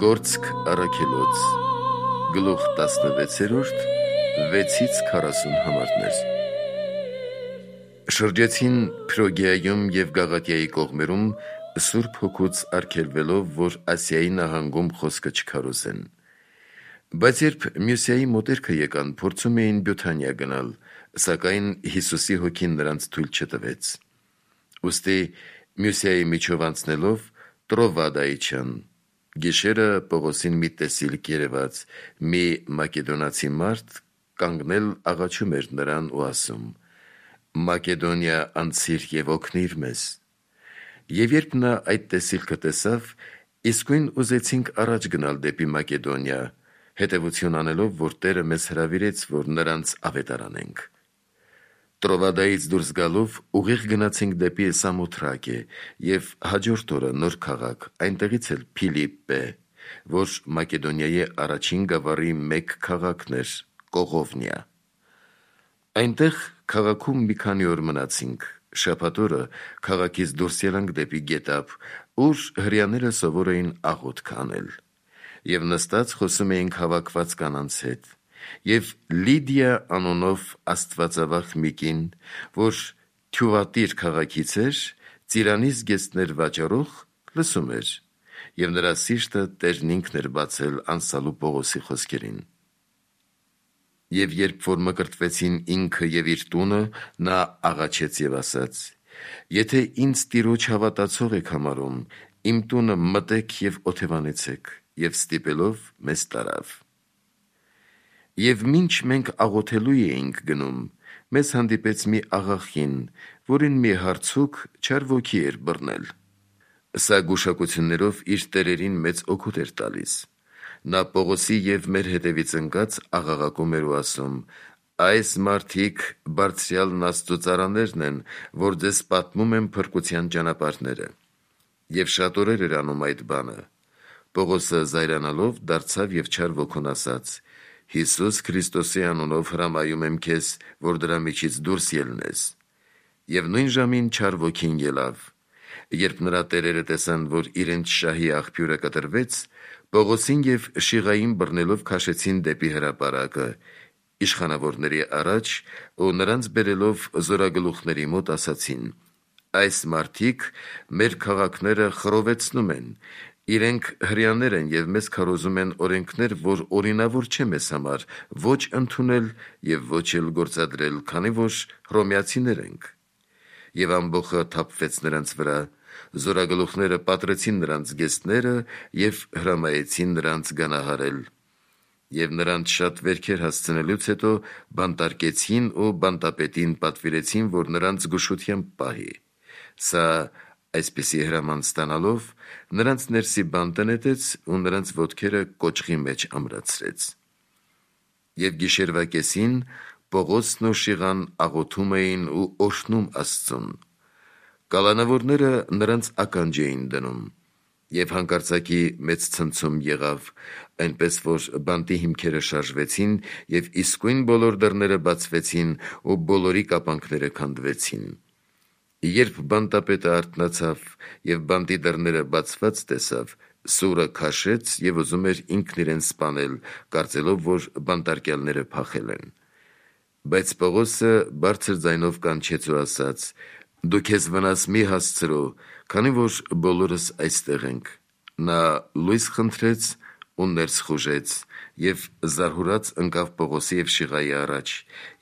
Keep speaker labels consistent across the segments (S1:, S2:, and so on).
S1: Գործք առաքելոց, գլուխ 16, 6-40 համարներ։ Շրջեցին Փրոգիայում և Գաղատիայի կողմերում, Սուրբ Հոգուց արգելվելով, որ Ասիայի նահանգում խոսքը չքարոզեն։ Բայց երբ Մյուսիայի մոտերքը եկան, փորձում էին Բյութանիա գնալ, սակայն Հիսուսի հոգին նրանց թույլ չտվեց։ Ուստի Մյուսիայի միջով անցնելով Տրովադայի իջան։ Գիշերը Պողոսին մի տեսիլք երևաց, մի մակեդոնացի մարդ կանգնել աղաչում էր նրան ու ասում. «Մակեդոնիա անցիր և օգնիր մեզ»։ Եվ երբ նա այդ տեսիլքը տեսավ, իսկույն ուզեցինք առաջ գնալ դեպի Մակեդոնիա, հետևություն անելով, որ Տերը մեզ հրավիրեց, որ նրանց ավետարանենք։ Տրովադայից դուրս գալով ուղիղ գնացինք դեպի Սամոթրակե և հաջորդ օրը նոր քաղաք, այնտեղից էլ Փիլիպպե, որ Մակեդոնիայի առաջին գավառի մեկ քաղաքն էր, Կողովնիա։ Այնտեղ քաղաքում մի քանի օր մնացինք, շաբաթ օրը քաղաքից դուրս ելանք դեպի գետափ, ուր հրեաները սովոր էին աղոթք անել, և նստած խոսում էինք հավաքված կանանց հետ, և Լիդիա անունով աստվածավախ մի կին, որ Թյուատիր քաղաքից էր, ծիրանի զգեստներ վաճառող, լսում էր, և նրա սիրտը Տերն ինքն էր բացել անսալու Պողոսի խոսքերին։ Եվ երբ որ մկրտվեցին ինքը և իր տունը, նա աղաչեց և ասաց. «Եթե ինձ Տիրոջ հավատացող եք համարում, իմ տունը մտեք և օթևանեցեք», և ստիպելով մեզ տարավ։ Եվ մինչ մենք աղոթելու էինք գնում, մեզ հանդիպեց մի աղախին, որին մի հարցուկ չար ոգի էր բռնել։ Սա գուշակություններով իր տերերին մեծ օգուտ էր տալիս։ Նա Պողոսի և մեր հետևից ընկած աղաղակում էր ու ասում. «Այս մարդիկ բարձրյալն Աստծու ծառաներն են, որ ձեզ պատմում են փրկության ճանապարհները»։ Եվ շատ օրեր էր անում այդ բանը։ Պողոսը զայրանալով դարձավ և չար ոգուն ասաց. «Հիսուս Քրիստոսի անունով հրամայում եմ քեզ, որ դրա միջից դուրս ելնես»։ Եվ նույն ժամին չար ոգին ելավ։ Երբ նրա տերերը տեսան, որ իրենց շահի աղբյուրը կտրվեց, Պողոսին և Շիղային բռնելով քաշեցին դեպի հրապարակը, իշխանավորների առաջ ու նրանց բերելով զորագլուխների մոտ ասացին. «Այս մարդիկ մեր քաղաքները խռովեցնում են, իրենք հրեաներ են և մեզ քարոզում են օրենքներ, որ օրինավոր չէ մեզ համար ոչ ընդունել և ոչ էլ գործադրել, քանի որ հռոմեացիներ ենք»։ Եվ ամբոխը թափվեց նրանց վրա, զորագլուխները պատռեցին նրանց զգեստները և հրամայեցին նրանց գանահարել։ Եվ նրանց շատ վերքեր հասցնելուց հետո բանտարկեցին ու բանտապետին պատվիրեցին, որ նրանց զգուշությամբ պահի։ Սա այսպիսի հրաման ստանալով, նրանց ներսի բանտը նետեց ու նրանց ոտքերը կոճղի մեջ ամրացրեց։ Եվ գիշերվա կեսին Պողոսն ու Շիղան աղոթում էին ու օրհնում Աստծուն։ Կալանավորները նրանց ականջ էին դնում։ Եվ հանկարծակի մեծ ցնցում եղավ, այնպես որ բանտի հիմքերը շարժվեցին և իսկույն բոլոր դռները բացվեցին ու բոլորի կապանքները քանդվեցին։ Երբ բանտապետը արթնացավ և բանտի դռները բացված տեսավ, սուրը քաշեց և ուզում էր ինքն իրեն սպանել, կարծելով, որ բանտարկյալները փախել են։ Բայց Պողոսը բարձր ձայնով կանչեց ու ասաց. «Դու քեզ վնաս մի հասցրու, քանի որ բոլորս այստեղ ենք»։ Նա լույս խնդրեց ու ներս խուժեց և զարհուրած ընկավ Պողոսի և Շիղայի առաջ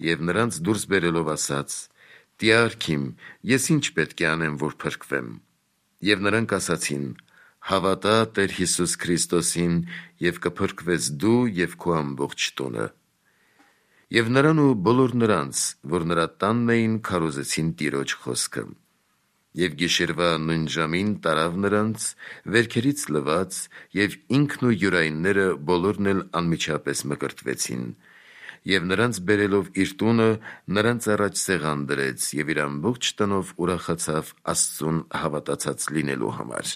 S1: և նրանց դուրս բերելով ասաց. «Տյարք իմ, ես ի՞նչ պետք է անեմ, որ փրկվեմ»։ Եվ նրանք ասացին. «Հավատա Տեր Հիսուս Քրիստոսին, և կփրկվես դու և քո ամբողջ տունը»։ Եվ նրան ու բոլոր նրանց, որ նրա տանն էին, քարոզեցին Տիրոջ խոսքը։ Եվ գիշերվա նույն ժամին տարավ նրանց, վերքերից լվաց, և ինքն ու յուրայինները բոլորն էլ անմիջապես մկրտվեցին։ Եվ նրանց բերելով իր տունը, նրանց առաջ սեղան դրեց և իր ամբողջ տնով ուրախացավ Աստծուն հավատացած լինելու համար։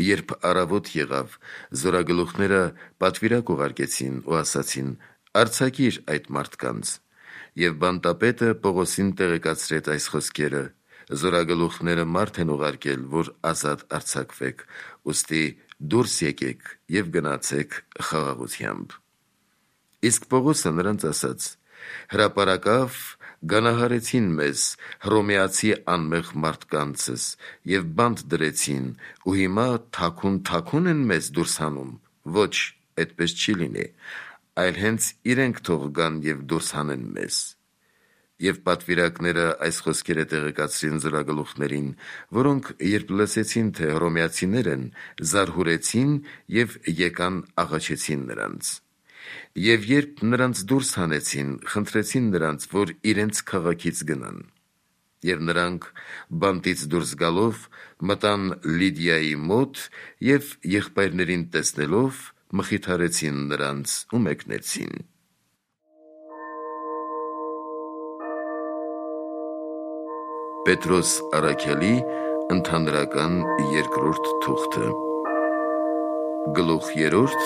S1: Երբ առավոտ եղավ, զորագլուխները պատվիրակ ուղարկեցին ու ասացին. «Արձակիր այդ մարդկանց»։ Եվ բանտապետը Պողոսին տեղեկացրեց այս խոսքերը. «Զորագլուխները մարդ են ուղարկել, որ ազատ արձակվեք»։ Ուստի դուրս եկեք և գնացեք խաղաղությամբ։ Իսկ Պողոսը նրանց ասաց. հրապարակավ գանահարեցին մեզ հռոմեացի անմեղ մարդկանցս և բանտ դրեցին, ու հիմա թաքուն են մեզ դուրս հանում։ Ոչ, այդպես չի լինի, այլ հենց իրենք թող գան և դուրս հանեն մեզ։ Եվ պատվիրակները այս խոսքերը տեղեկացրին զորագլուխներին, որոնք երբ լսեցին, թե հռոմեացիներ են, զարհուրեցին և եկան աղաչեցին նրանց։ Եվ երբ նրանց դուրս հանեցին, խնդրեցին նրանց, որ իրենց քաղաքից գնան։ Եվ նրանք բանտից դուրս գալով մտան Լիդիայի մոտ և եղբայրներին տեսնելով մխիթարեցին նրանց ու մեկնեցին։ Պետրոս Առաքյալի ընդհանրական երկրորդ թուղթը, գլուխ 3,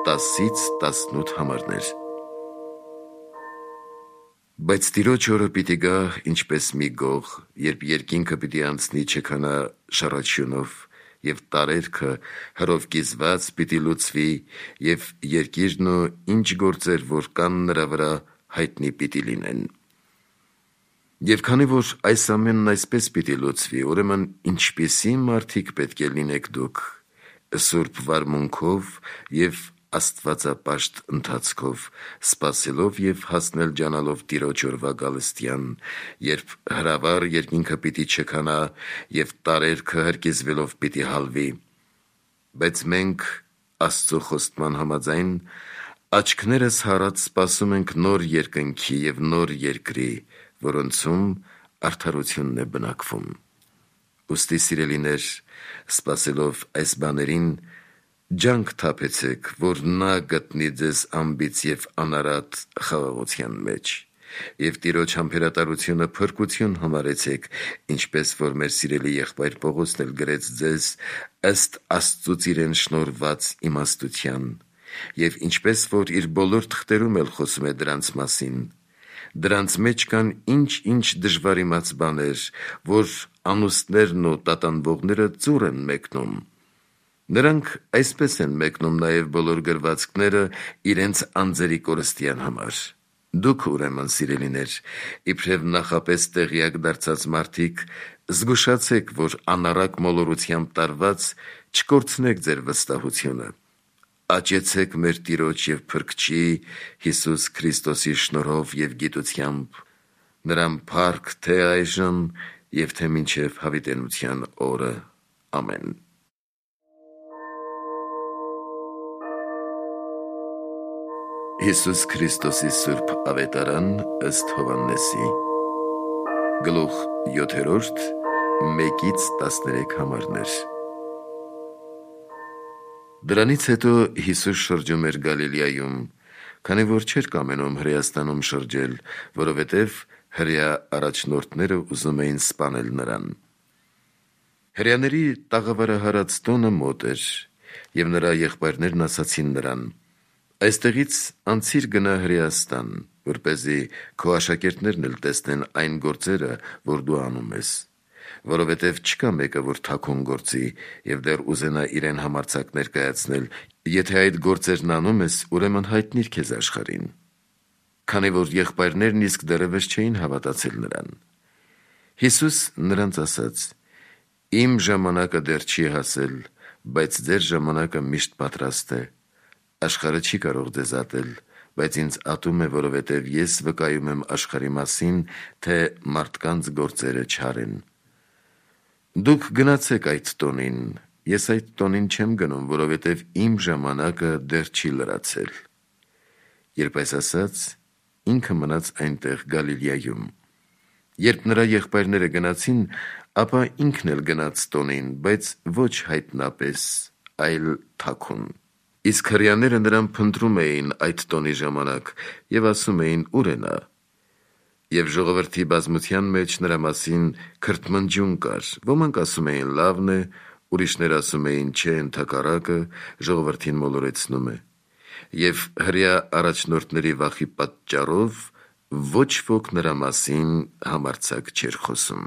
S1: 10-18 համարներ։ Բայց Տիրոջ օրը պիտի գա ինչպես մի գող, երբ երկինքը պիտի անցնի չքանա շառաչյունով, և տարերքը հրով կիզված պիտի լուծվի, և երկիրն ու ինչ գործեր, որ կան նրա վրա, հայտնի պիտի լինեն։ Եվ քանի որ այս ամենն այսպես պիտի լուծվի, ուրեմն ինչպիսի մարդիկ պետք է լինեք դուք, սուրբ վարմունքով և աստվածապաշտ ընթացքով, սպասելով և հասնել ջանալով Տիրոջ օրվա գալստյան, երբ հրավառ երկինքը պիտի չքանա և տարերքը հրկիզվելով պիտի հալվի։ Բայց մենք Աստծո խոստման համաձայն աչքներս հառած սպասում ենք նոր երկնքի և նոր երկրի, որոնցում արդարությունն է բնակվում։ Ուստի սիրելիներ, սպասելով այս բաներին, ջանք թափեցեք, որ նա գտնի ձեզ անբիծ և անարատ խաղաղության մեջ, և Տիրոջ համբերատարությունը փրկություն համարեցեք, ինչպես որ մեր սիրելի եղբայր Պողոսն էլ գրեց ձեզ ըստ Աստծուց իրեն շնորհված իմաստության, և ինչպես որ իր բոլոր թղթերում էլ խոսում է դրանց մասին։ Դրանց մեջ կան ինչ-ինչ դժվարիմաց բաներ, որ անուստներն ու տատանվողները ծուռ են մեկնում։ Նրանք այսպես են մեկնում նաև բոլոր գրվածքները իրենց անձերի կորստյան համար։ Դուք, ուրեմն, սիրելիներ, իբրև նախապես տեղյակ դարձած մարդիկ, զգուշացեք, որ անառակ մոլորությամբ տարված չկորցնեք ձեր վստահությունը։ Աճեցեք մեր Տիրոջ և Փրկչի Հիսուս Քրիստոսի շնորհով և գիտությամբ, նրան փառք թե այժմ և թե մինչև հավիտենության օրը։ Ամեն։ Հիսուս Քրիստոսի Սուրբ Ավետարան ըստ Հովհաննեսի, գլուխ 7, 1-13 համարներ։ Դրանից հետո Հիսուս շրջում էր Գալիլեայում, քանի որ չէր կամենում Հրեաստանում շրջել, որովհետև հրեա առաջնորդները ուզում էին սպանել նրան։ Հրեաների տաղավարահարած տոնը մոտ էր, և նրա եղբայրներն ասացին նրան. «Այստեղից անցիր գնա Հրեաստան, որպեսզի քո աշակերտներն էլ տեսնեն այն գործերը, որ դու անում ես, որովհետև չկա մեկը, որ թաքուն գործի և դեռ ուզենա իրեն համարձակ ներկայացնել, եթե այդ գործերն անում ես, ուրեմն հայտնիր քեզ աշխարհին»։ Քանի որ եղբայրներն իսկ դեռևս չէին հավատացել նրան։ Հիսուս նրանց ասաց. «Իմ ժամանակը դեռ չի հասել, բայց ձեր ժամանակը միշտ պատրաստ է։ Աշխարհը չի կարող ձեզ ատել, բայց ինձ ատում է, որովհետև ես վկայում եմ աշխարհի մասին, թե մարդկանց գործերը չարեն։ Դուք գնացեք այդ տոնին, ես այդ տոնին չեմ գնում, որովհետև իմ ժամանակը դեռ չի լրացել»։ Երբ այս ասաց, ինքը մնաց այնտեղ Գալիլեայում։ Երբ նրա եղբայրները գնացին, ապա ինքն էլ գնաց տոնին, բայց ոչ հայտնապես, այլ թաքուն։ Իսկ հրեաները նրան փնտրում էին այդ տոնի ժամանակ և ասում էին. «Ո՞ւր է նա»։ Եվ ժողովրդի բազմության մեջ նրա մասին քրթմնջյուն կար. ոմանք ասում էին լավն է, ուրիշներ ասում էին չէ, ընդհակառակը, ժողովրդին մոլորեցնում է։ Եվ հրեա առաջնորդների վախի պատճառով ոչ ոք նրա մասին համարձակ չէր խոսում։